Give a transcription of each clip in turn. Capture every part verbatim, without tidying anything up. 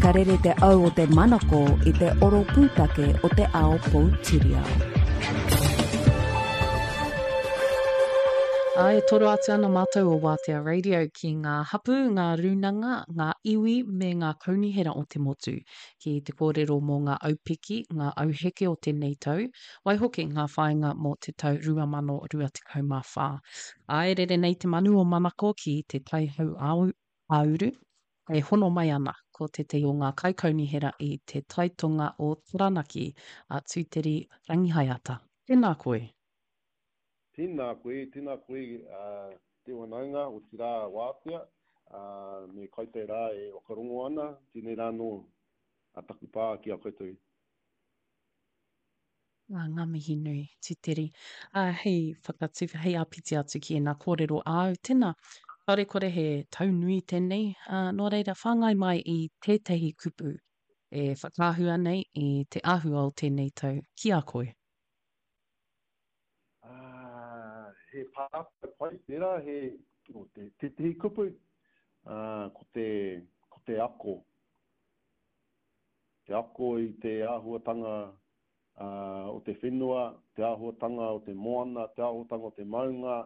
Ka rere te au o te manako i te oro pūtake o te ao poutiriao. Ā, e toro atu ana mātou o Wātea Radio ki ngā hapū, ngā rūnanga, ngā iwi me ngā kaunihera o te motu, ki te kōrero mō ngā aupiki, ngā auheke o tēnei tau, waihoki ngā whāinga mō te tau rua mano rua tekau mā whā. Ā, e rere nei te manu o Manako ki te Tai Hau-ā-uru, e hono mai ana ko tētahi o ngā kaikaunihera i te Tai Tonga o Taranaki, a Tūteri Rangihaeata. Tēnā koe. Tēnā koe, tēnā koe te whanaunga, otirā Wātea, me koutou rā e whakarongo ana, tēnei rā anō taku pā ki a koutou. Ā, ngā mihi nui, Titeri. Ā, hei whakatu, hei āpiti atu ki ēnā kōrero āu, tēnā, kāore kore he tau nui tēnei, ā, nō reira, whāngai mai i tētahi kupu e whakaahua nei i te āhua o tēnei tau ki a koe. Ā, he pātai pai tērā, he, o te, tētehi kupu, ā, ko te, ko te ako. Te ako i te āhuatanga, ā, o te whenua, te āhuatanga o te moana, te āhuatanga o te maunga,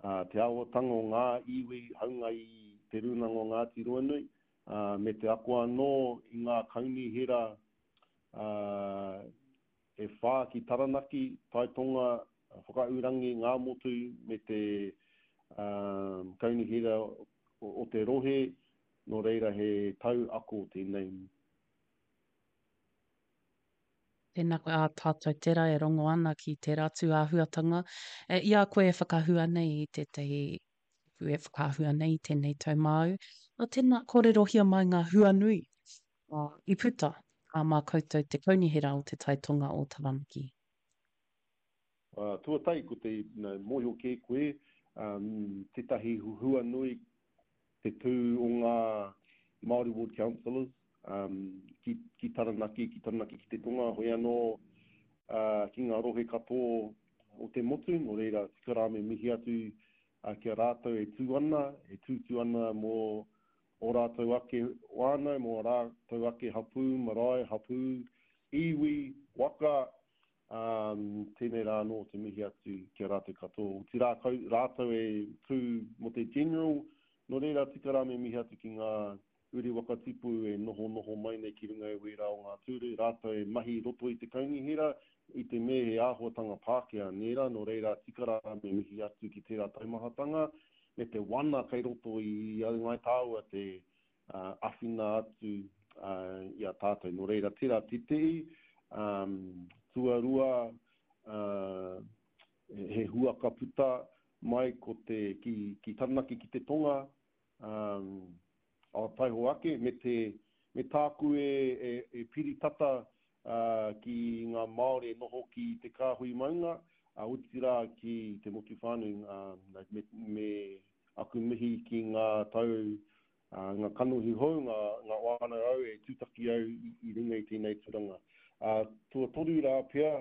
ā, te āhuatanga o ngā iwi, haunga i Te Rūnanga o Ngāti Ruanui, ā, me te ako anō i ngā kaunihera, ā, e whā ki Taranaki, Taitonga, Whakaurangi, Ngāmotu me te Kaunihera o te rohe, nō reira he tau ako tēnei. Tēnā koe, ā tātou tērā e rongo ana ki tērā tū āhuatanga. I a koe e whakahua nei i tētahi kupu e whakaahua nei i tēnei tau māu, ā, tēnā kōrerohia mai ngā hua nui i puta ā mā koutou te Kaunihera o Te Tai Tonga o Taranaki. Uh, tuatahi, ko te no, mōhio kē koe, um, tētahi hua nui te tū o ngā Māori Ward Councillors um, ki, ki Taranaki, ki Taranaki ki te tonga, hoi anō uh, ki ngā rohe katoa o te motu, nō reira tika rā me mihi atu uh, ki a rātou e tū ana, e tūtū ana mō ō rātou ake whānau, mō ā rātou ake hapū, marae, hapū, iwi, waka, ā, tēnei rā anō te mihi atu ki a rātou katoa. Otirā, kau, rātou e tū mō te general, nō reira tika rā me mihi atu ki ngā uri waka tipu e nohonoho mai nei ki runga i wērā o ngā tūru, rātou e mahi i roto i te kaunihera, i te mea he āhuatanga Pākehā, nē rā, nō reira tika rā me mihi atu ki tērā taumahatanga, me te wana kei roto i a Ngāi Tāua te āwhina atu i a tātou. Nō reira, tērā tētehi, tuarua, he hua ka puta mai ko te, ki, ki Taranaki ki te tonga, ao taiho ake, me te, me tāku e, e, e piri tata ki ngā Māori e noho ki te kāhui maunga, otirā ki te motu whānui, me, me aku mihi ki ngā tau, ngā kanohi hou, ngā, ngā whānau au e tūtaki au i, i runga i tēnei tūranga. Tuatoru rā pea,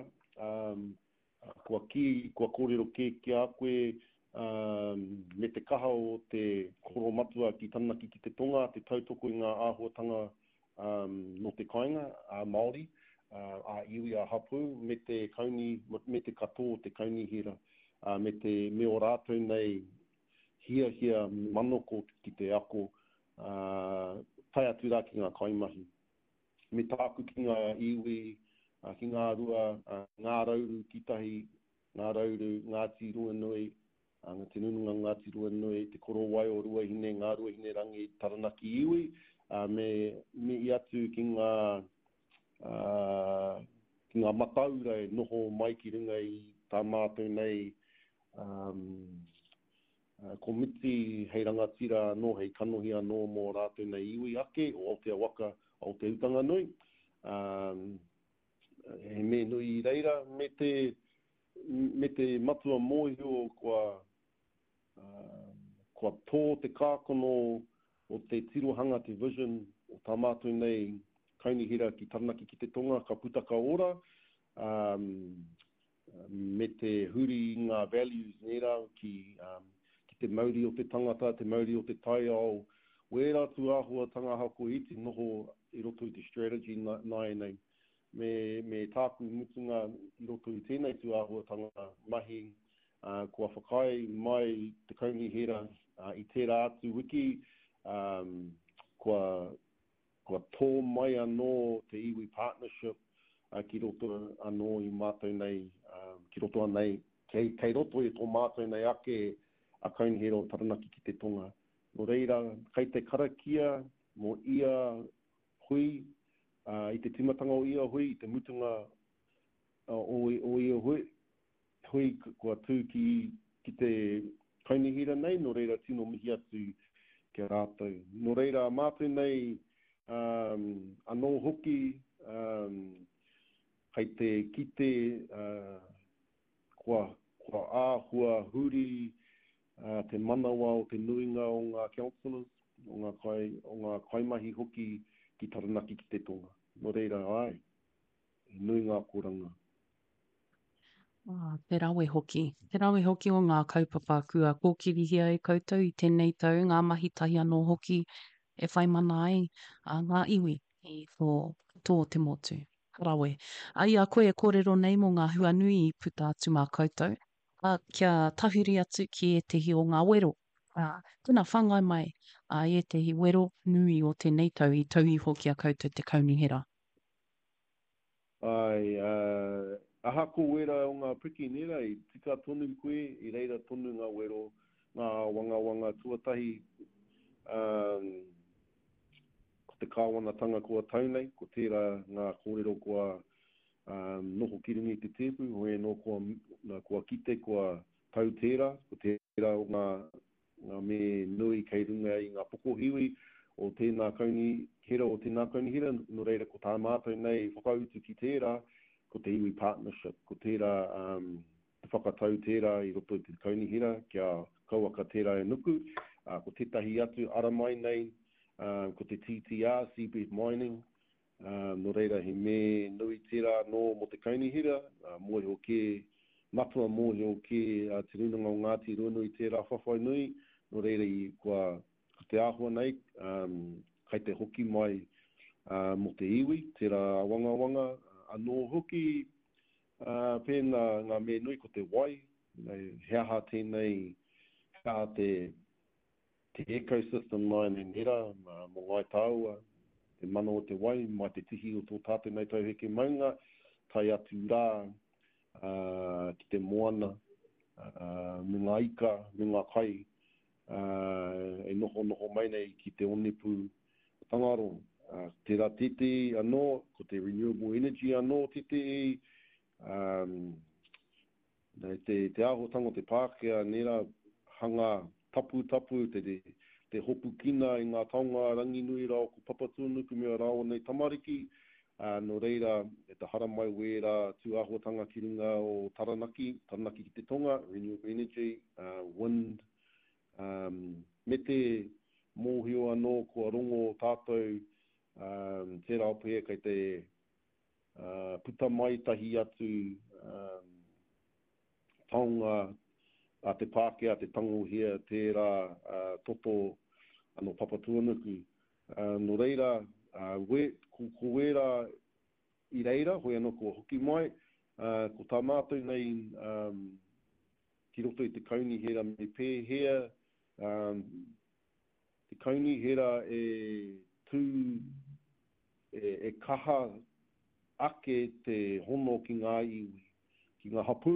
kua kī, kua kōrero kē ki a koe, me te kaha o te koromatua ki Taranaki ki te tonga, te tautoko i ngā āhuatanga nō te kāinga, ā-Māori, ā-iwi, ā-hapū, me te kauni, me te katoa o te kaunihera, me te, me ō rātou nei hiahia manoko ki te ako, tae atu rā ki ngā kaimahi. Me tāku ki ngā iwi, ki ngā rua, Ngā Rauru ki tahi, Ngā Rauru, Ngāti Ruanui, Te Nununga Ngāti Ruanui, Te Korowai o Ruahine, Ngā Ruahine Rangi, Taranaki iwi, me mihi atu ki ngā, ki ngā mataura e noho mai ki runga i tā mātou nei komiti hei rangatira anō, hei kanohi anō mō rātou nei iwi ake o Aotea Waka, Aotea Utanganui. He mea nui i reira, me te, me te matua mōhio kua, kua tō te kākano o te tirohanga, te vision o tā mātou nei kaunihera ki Taranaki ki te tonga, ka puta ka ora, me te huri i ngā values nērā ki, ki te mauri o te tangata, te mauri o te taiao, Wērā tūāhuatanga ahakoa iti noho i roto i te strategy nāianei, me, me tāku mutunga i roto i tēnei tūāhuatanga mahi, uh, kua whakaae mai te kaunihera uh, i tērā atu wiki, um, kua, kua tō mai anō te iwi partnership uh, ki roto anō i mātou nei, um, ki roto anei, kei, kei roto i tō mātou nei ake a Kaunihera o Taranaki ki te Tonga. Nō reira, kei te karakia mō ia hui, uh, i te tīmatanga o ia hui, i te mutunga uh, o, o ia hui, hui kua tū ki, ki te kaunihera nei, nō reira tino mihi atu ki a rātou. Nō reira, mātou nei um, anō hoki um, kei te kite uh, kua, kua āhua huri uh, te manawa o te nuinga o ngā councillors, o ngā, kai, o ngā kaimahi hoki ki Taranaki ki te Tonga. Nō reira, ai, he nui ngā akoranga. Ah, te rawe hoki. Te rawe hoki o ngā kaupapa kua kōkirihia e koutou i tēnei tau, ngā mahi tahi anō hoki e whai mana ai a ngā iwi i tō, tō te motu. Rawe. A i a koe e kōrero nei mō ngā hua nui i puta atu mā koutou, a, kia tahuri atu ki ētehi o ngā wero. A, tēnā whāngai mai a ētehi wero nui o tēnei tau i tau iho ki a koutou te kaunihera. Ai, uh, ahako wera o ngā piki nera, i tika tonu koe, i reira tonu ngā wero, ngā wangawanga tuatahi, um, ko te kāwanatanga kua tau nei, ko tērā ngā kōrero kua um, noho ki runga i te tēpu, hoi anō kua, kua kite, kua tau tērā, ko tērā o ngā, ngā me nui kei runga i ngā pokohiwi o tēnā kaunihera, o tēnā kaunihera, nō reira ko tā mātou nei whakautu ki tērā, ko te iwi partnership, ko tērā um, te whakatau tērā i roto i te kaunihera, kia kauaka tērā e nuku, uh, ko tētahi atu ara mai nei, uh, ko te T T R, Seabed Mining, uh, nō reira he me nui tērā nō mō te kaunihera, uh, mōhio kē, matua mōhio kē uh, te Rūnanga o Ngāti Ruanui tērā whawhai nui, nō reira i kua ko te āhua nei, um, kai te hoki mai uh, mō te iwi, tērā wangawanga, anō hoki uh, pēnā ngā me nui ko te wai, he aha tēnei, he aha te, te ecosystem mai nei nera, mō Ngāi Tāua, te mana o te wai, mai te tihi o tō tātou nei tauheke maunga, tae atu rā uh, ki te moana, uh, me ngā ika, me ngā kai, uh, e noho noho mai nei ki te onepu Tangaro. Uh, tērā tētehi anō, ko te renewable energy anō tētehi, um, te, te āhuatanga o te Pākehā, nera hanga tapu tapu, te, te, te hopukina i ngā taonga Ranginui rāua ko Papatūānuku me ā rāua nei tamariki, uh, nō reira, e te haramai wērā tūāhuatanga ki runga o Taranaki, Taranaki ki te Tonga, renewable energy, uh, wind, um, me te mōhio anō kua rongo tātou, um, tērā pea kei te uh, puta mai tahi atu um, taonga a te Pākehā, te tangohia, tērā uh, toto anō Papatūānuku. Uh, nō reira, uh, we, ko, ko wērā i reira, hoi anō kua hoki mai, uh, ko tā mātou nei um, ki roto i te kaunihera me pēhea, um, te kaunihera e tū, e, e kaha ake te hono ki ngā iwi, ki ngā hapū,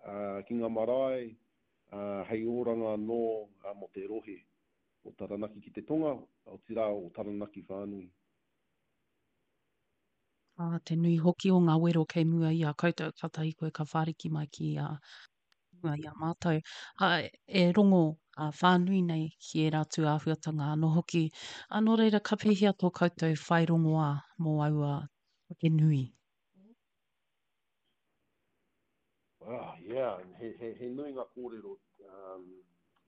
uh, ki ngā marae, uh, hei oranga anō uh, mō te rohe o Taranaki ki te Tonga, o tirā o Taranaki whānui. Ah, te nui hoki o ngā wero kei mua i a koutou, kātahi koe ka whāriki mai ki a mua i a mātou. Ah, e rongo a whānui nei ki ērā tū āhuatanga anō hoki. Ah, nō reira, ka pēhea tō koutou whai rongoā mō aua take nui? Ah, yeah, he, he, he nui ngā kōrero, um,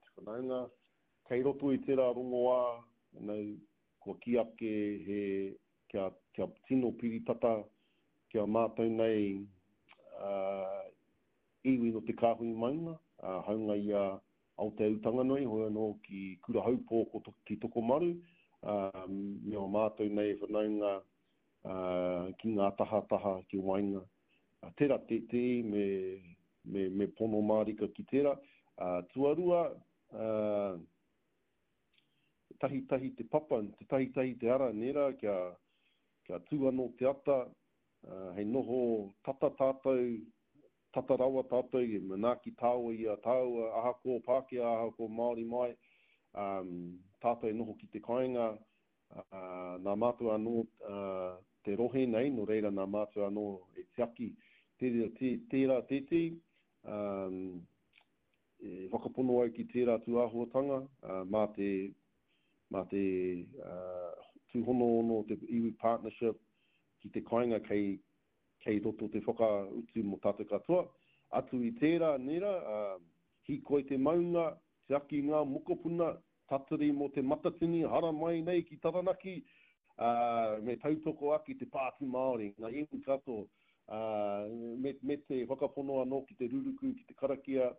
te whanaunga. Kei roto i tērā rongoā, you kua ki ake he, kia, kia tino piritata, kia mātou nei uh, iwi no te kāhui maunga, uh, haunga i a Aotea Utanganui, hoi anō ki Kurahaupō ko to, ki Tokomaru, uh, me o mātou nei whanaunga uh, ki ngā tahataha ki waenga. Uh, tērā te te me, me, me pono mārika ki tērā. Uh, tuarua, uh, tahitahi te papa, te tahitahi te ara, nera, kia, kia tū anō te ata, uh, hei noho tata tātou, tata rawa tātou, e manaaki tāua i a tāua, ahakoa Pākehā, ahakoa Māori mai, um, tātou e noho ki te kāinga, uh, nā mātou anō uh, te rohe nei, nō reira nā mātou anō e tiaki tērā, tērā tētī, um, e whakapono au ki tērā tūāhuatanga, uh, mā te, mā te uh, tūhonohono te iwi partnership ki te kāinga kei, kei roto te whakautu mō tātou katoa. Atu i tērā, nera, uh, hikoi te maunga, tiaki ngā mokopuna, tatari mō te matatini, hara mai nei ki Taranaki, uh, me tautoko ake te Pāti Māori, ngā iwi katoa, uh, me, me te whakapono anō ki te ruruku, ki te karakia,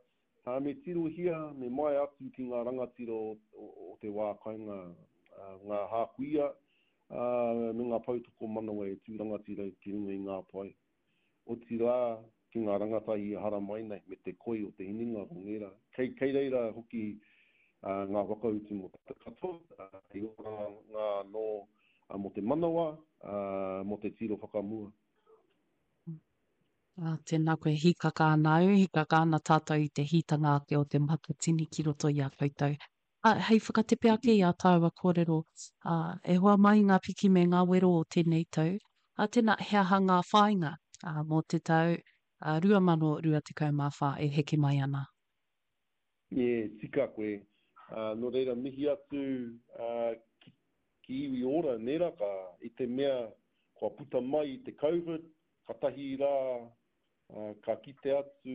uh, me tirohia, me mai atu ki ngā rangatira o, o, o te wā kainga, uh, ngā hākuia, uh, me ngā poutoko manawa e tū rangatira ki runga i ngā pae. Otirā, ki ngā rangatahi e hara mai nei, me te koi o te hinengaro, nera. Kei, kei reira hoki uh, ngā whakautu mō te katoa, uh, i ora ngā anō uh, mō te manawa, uh, mō te tiro whakamua. Ah, tēnā koe, hikaka ana au, hikaka ana tātou i te hītanga ake o te matatini ki roto i a koutou. Ah, hei whakatepe ake i a tāua kōrero, ah, e hoa mai ngā piki me ngā wero o tēnei tau. Ah, tēnā, he aha ngā whāinga ah, mō te tau ah, rua mano rua tekau mā whā e heke mai ana? E, tika koe. Uh, nō reira, mihi atu uh, ki, ki iwi ora, nera, ka, i te mea kua puta mai i te COVID, ka tahi rā, uh, ka kite atu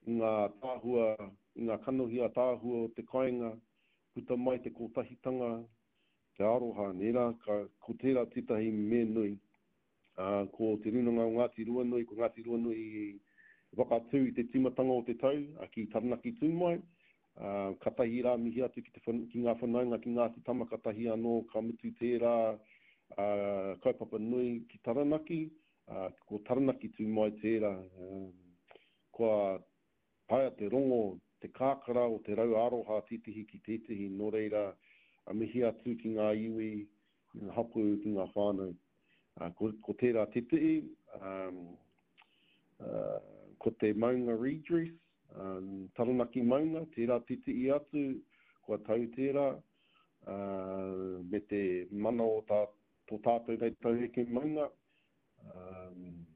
i ngā tāhua, i ngā kanohi a tāhua o te kāinga, puta mai te kotahitanga, te aroha, nera, ka, ko tērā tētahi me nui. Uh, ko te Rūnanga o Ngāti Ruanui, ko Ngāti Ruanui i whakatū i te tīmatanga o te tau, uh, ki Taranaki Tūmai. Uh, ka tahi rā mihi atu ki, te, ki ngā whanaunga ki Ngāti Tama, ka tahi anō ka mutu tērā uh, kaupapa nui ki Taranaki, uh, ko Taranaki Tūmai tērā. Uh, kua taea te rongo, te kākara o te rau aroha tētehi ki tētehi, nō reira a mihi atu ki ngā iwi, ki ngā hapū, ki ngā whānau. Uh, ko, ko tērā tētehi, um, uh, ko te maunga redress, um, Taranaki maunga, tērā tētehi atu, kua tau tērā, uh, me te mana o tā, tō tātou nei tauheke maunga. Um,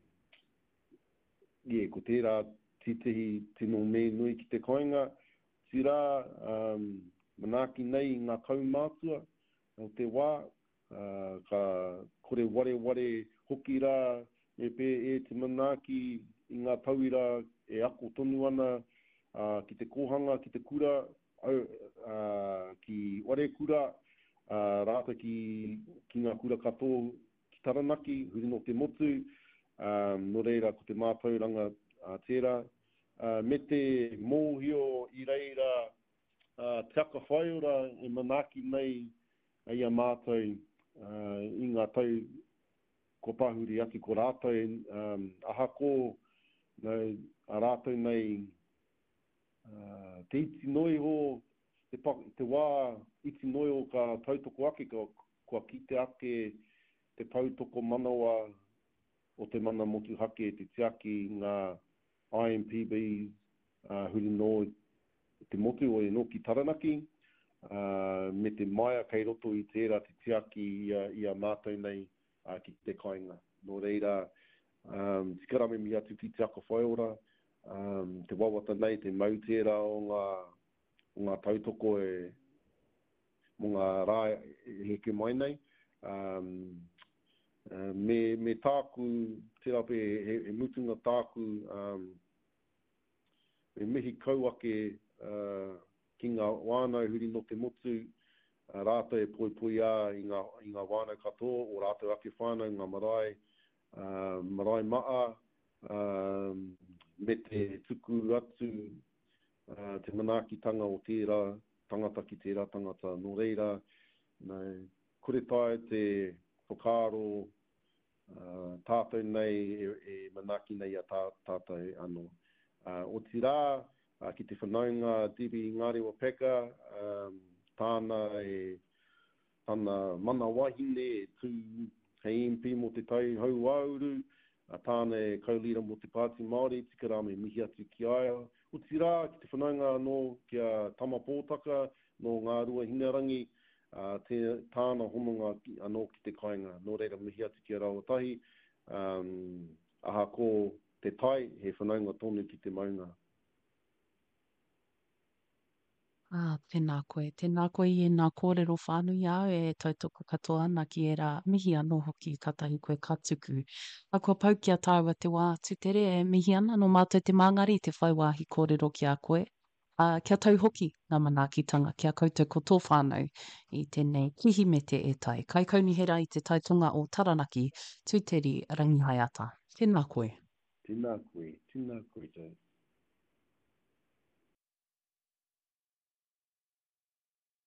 yeah, ko tērā tētehi tino me nui ki te kāinga. Tērā, um, manaaki nei i ngā kaumātua o te wā, uh, ka kore wareware hoki rā, me pē e te manaaki i ngā tauira e ako tonu ana uh, ki te kōhanga, ki te kura, au, uh, ki warekura, uh, rātou ki, ki ngā kura katoa ki Taranaki, huri no te motu, um, nō reira ko te mātauranga uh, tērā. Uh, me te mōhio i reira uh, te aka whaiora e manaaki nei i a mātou uh, i ngā tau ko pahuri atu ko rātou, um, ahako no, a rātou nei uh, te iti noiho, te, pa, te wā iti noiho ka tautoko ake, ka, kua kite ake te poutoko manawa o te mana motuhake, te tiaki ngā I M P Bs uh, huri no te motu o e nō ki Taranaki, uh, me te maia kei roto i tērā te tiaki i a, i a mātou nei uh, ki te kāinga. Nō reira, um, tika rā me mihi atu ki te aka whaiora, um, te wawata nei, te mau tērā o ngā, o ngā tautoko e, mō ngā rā e heke mai nei. Um, uh, me, me tāku, tērā pe, he, he mutunga tāku, um, me mihi kau ake uh, ki ngā wānau huri no te motu, uh, rātou e poipoi ā i ngā, i ngā wānau katoa, o rātou ake whānau, ngā marae, uh, marae maa, uh, me te tuku atu te manaakitanga o tērā tangata ki tērā tangata. Nō reira, no, kore taea te whakaaro uh, tātou nei e, e manaaki nei a tā, tātou anō. Uh, otirā, uh, ki te whanaunga Debbie Ngarewa Packer, um, tāna e tana mana wahine e tū hei M P mō Te Tai Hauāuru, tāna e co-leader mō te Pāti Māori, tika rā me mihi atu ki a ia. Otirā, ki te whanaunga anō ki a Tama Pōtaka nō Ngāruahine, te, tāna hononga anō ki te kāinga. Nō reira, mihi atu ki a rāua tahi, um, ahako te tai, he whanaunga tonu ki te maunga. Ah, tēnā koe. Tēnā koe i ēnā kōrero whānui āu e tautoko katoa ana ki ērā mihi anō hoki kātahi koe ka tuku. A kua pau ki a tāua te wā tutere e mihi ana nō mātou te māngari te whai wāhi kōrero ki a koe. Ā, kia tau hoki ngā manaakitanga ki a koutou ko tō whānau i tēnei Kirihimete e tai. Kaikaunihera i te taitonga o Taranaki, Tūteri Rangihaeata. Tēnā koe. Tēnā koe, tēnā koe.